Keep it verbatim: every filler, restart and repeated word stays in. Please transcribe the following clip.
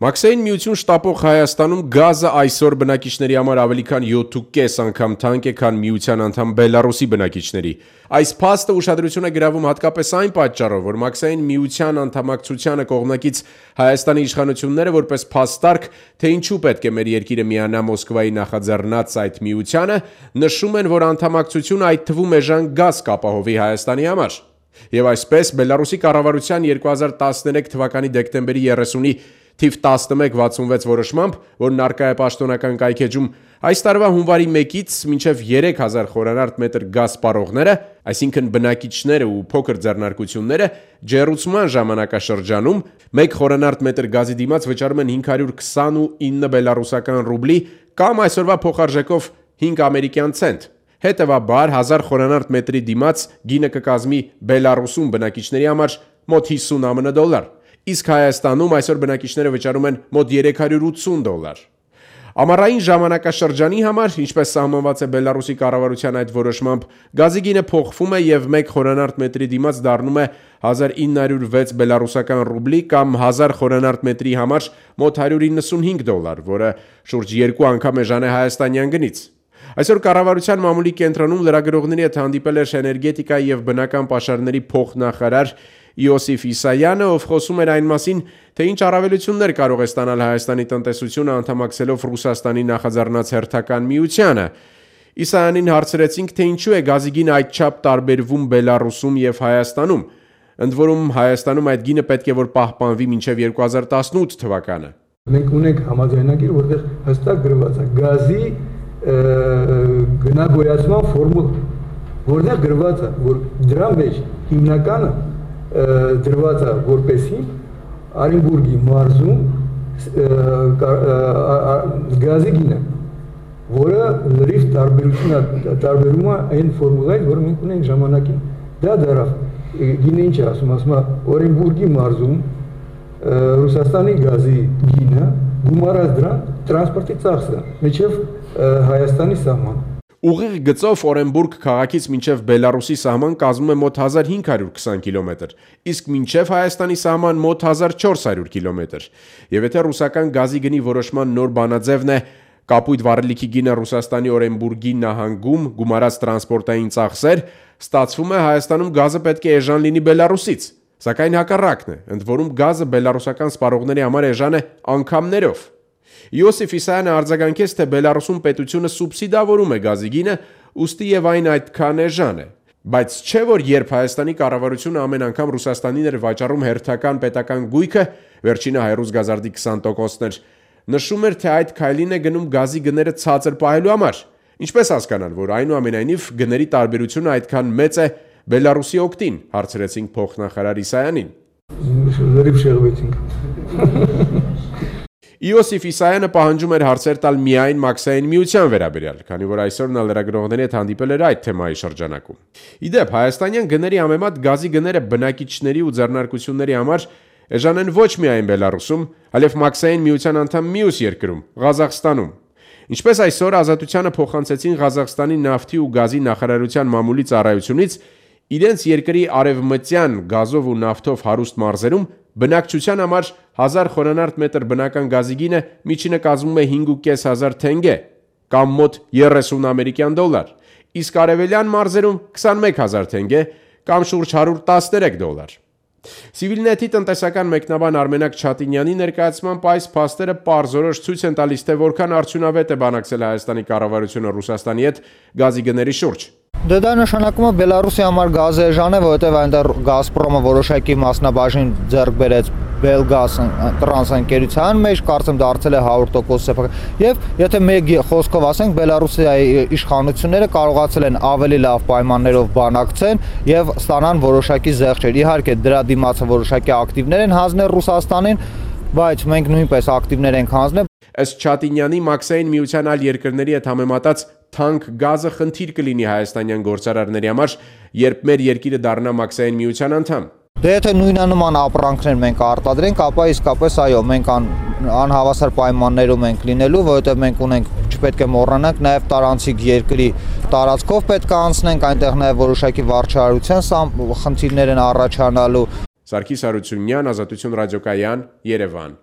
Մաքսային միություն շտապող Հայաստանում գազը այսօր բնակիչների համար ավելի քան յոթ ու կես անգամ թանկ է, քան միության անդամ Բելարուսի բնակիչների։ Այս փաստը ուշադրություն է գրավում հատկապես այն պատճառով, որ Մաքսային միության անդամակցությանը կողմնակից Հայաստանի իշխանությունները որպես փաստարկ, թե ինչու պետք է մեր երկիրը միանա Մոսկվայի նախաձեռնած այդ միությանը, նշում են, որ անդամակցությունը այդ թվում էժան գազ կապահովի Հայաստանի համար։ Եվ այսպես Բելարուսի կառավարության երկու հազար տասներեք թվականի դեկտեմբերի երեսունի թիվ տասնմեկ վաթսունվեց որոշմամբ, որն առկա է պաշտոնական կայքեջում, այս տարվա հունվարի մեկից մինչև երեք հազար խորանարդ մետր գազ սպառողները, այսինքն բնակիչները ու փոքր ձեռնարկությունները, ջեռուցման ժամանակաշրջանում մեկ խորանարդ մետր գազի դիմաց վճարում են հինգ հարյուր քսանինը բելարուսական ռուբլի կամ այսօրվա փոխարժեքով հինգ ամերիկյան ցենտ։ Հետևաբար հազար խորանարդ մետրի դիմաց գինը կկազմի Բելարուսում բնակիչների համար մոտ հիսուն ԱՄՆ դոլար։ Իսկ Հայաստանում այսօր բնակիչները վճարում են մոտ երեք հարյուր ութսուն դոլար։ Ամառային ժամանակաշրջանի համար, ինչպես սահմանված է Բելարուսի կառավարության այդ որոշմամբ, գազի գինը փոխվում է եւ մեկ խորանարդ մետրի դիմաց դառնում է հազար ինը հարյուր վեց բելարուսական ռուբլի կամ հազար խորանարդ մետրի համար մոտ հարյուր իննսունհինգ դոլար, որը շուրջ երկու անգամ էժան է հայաստանյան գնից։ Այսօր կառավարության մամուլի կենտրոնում լրագրողների հետ հանդիպել էր էներգետիկայի եւ բնական պաշարների փոխնախարար Իոսիֆ Իսայանը, ով խոսում էր այն մասին, թե ինչ առավելություններ կարող է ստանալ Հայաստանի տնտեսությունը անդամակցելով Ռուսաստանի նախաձեռնած հերթական միությանը։ Իսայանին հարցրեցինք, թե ինչու է գազի գինը այդչափ տարբերվում Բելարուսում եւ Հայաստանում, ընդ որում Հայաստանում այդ գինը պետք է որ պահպանվի մինչեւ երկու հազար տասնութ թվականը։ Մենք ունենք համաձայնագիր, որտեղ հստակ գրված է գազի գնագոյացման ֆորմուլա, որտեղ գրված է, որ դրա մեջ հիմնականը դրված է որպեսի Արենբուրգի մարզում գազի գինը, որը լրիվ տարբերում է այն ֆորմուլայից, որը մենք ունենք ժամանակին։ Դա դարավ գինը ինչ է ասում, ասում է Օրենբուրգի մարզում Ռուսաստանի գազի գինը գումարած դրան տրանսպորտի ծախսը մինչև Հայաստանի սահման։ Ուղիղ գծով Օրենբուրգ քաղաքից մինչև Բելարուսի սահման կազմում է մոտ հազար հինգ հարյուր քսան կիլոմետր, իսկ մինչև Հայաստանի սահման մոտ հազար չորս հարյուր կիլոմետր։ Եվ եթե ռուսական գազի գնի որոշման նոր բանաձևն է կապույտ վառելիքի գինը Ռուսաստանի Օրենբուրգի նահանգում գումարած տրանսպորտային ծախսեր, ստացվում է Հայաստանում գազը պետք է էժան լինի Բելարուսից, սակայն հակառակն է, ընդ որում գազը բելարուսական սպառողների համար էժան է անգամներով։ Իոսիֆ Իսայանը արձագանքեց, թե Բելարուսում պետությունը սուբսիդավորում է գազի գինը, ուստի եւ այն այդքան էժան է։ Բայց չէ որ երբ Հայաստանի կառավարությունը ամեն անգամ Ռուսաստանին էր վաճառում հերթական պետական գույքը, վերջինը հայրուս գազարդի քսան տոկոսն էր, նշում էր, թե այդ քայլին է գնում գազի գները ցածր պահելու համար։ Ինչպես հասկանալ, որ այնուամենայնիվ գների տարբերությունը այդքան մեծ է Բելարուսի օգտին, հարցրեցինք փոխնախարար Իսայանին։ Լրիվ շեղվեցինք։ Իոսիֆ Իսայանը պահանջում էր հարցեր տալ միայն Մաքսային միության վերաբերյալ, քանի որ այսօր նա լրագրողների հետ հանդիպել էր այդ թեմայի շրջանակում։ Իդեպ հայաստանյան գների համեմատ գազի գները բնակիչների ու ձեռնարկությունների համար էժան են ոչ միայն Բելարուսում, այլև Մաքսային միության անդամ մյուս երկրում՝ Ղազախստանում։ Ինչպես այսօր Ազատությանը փոխանցեցին Ղազախստանի նավթի ու գազի նախարարության մամուլի ծառայությունից, իրենց երկրի արևմտյան գազով ու նավթով հարուստ մարզերում բնակչության համար հազար խորանարդ մետր բնական գազի գինը միջինը կազմում է հինգ ու կես հազար թենգե կամ մոտ երեսուն ամերիկյան դոլար, իսկ արևելյան մարզերում քսանմեկ հազար թենգե կամ շուրջ հարյուր տասներեք դոլար։ Civilnet-ի տնտեսական մեկնաբան Արմենակ Չատինյանի ներկայացմամբ այս փաստերը պարզորոշ ցույց են տալիս, թե որքան արդյունավետ է բանակցել Հայաստանի կառավարությունը Ռուսաստանի հետ գազի գների շուրջ։ Դե դա նշանակում է Բելարուսի համար գազը էժան է, որովհետև այնտեղ Գազպրոմը որոշակի մասնաբաժին ձեռք բերեց Belgas տրանսընկերության մեջ, կարծեմ դարձել է հարյուր տոկոս սեփական։ Եվ եթե մեկ խոսքով ասենք, Բելարուսի իշխանությունները կարողացել են ավելի լավ պայմաններով բանակցեն եւ ստանան որոշակի զեղչեր։ Իհարկե դրա դիմացը որոշակի ակտիվներ են հանձնել Ռուսաստանին, բայց մենք նույնպես ակտիվներ ենք հանձնել։ Ըստ Չատինյանի, Մաքսային միության այլ երկրների հետ համեմատած թանկ գազը խնդիր կլինի հայաստանյան գործարարների համար, երբ մեր երկիրը դառնա Մաքսային միության անդամ։ Դե եթե նույնանման ապրանքներ մենք արտադրենք, ապա իսկապես այո, մենք անհավասար պայմաններում ենք լինելու, որովհետև մենք ունենք, չպետք է մոռանանք, նաև տարանցիկ երկրի տարածքով պետք է անցնենք, այնտեղ նաև որոշակի վարչարարության խնդիրներ են առաջանալու։ Սարգիս Հարությունյան, Ազատություն ռադիոկայան, Երևան։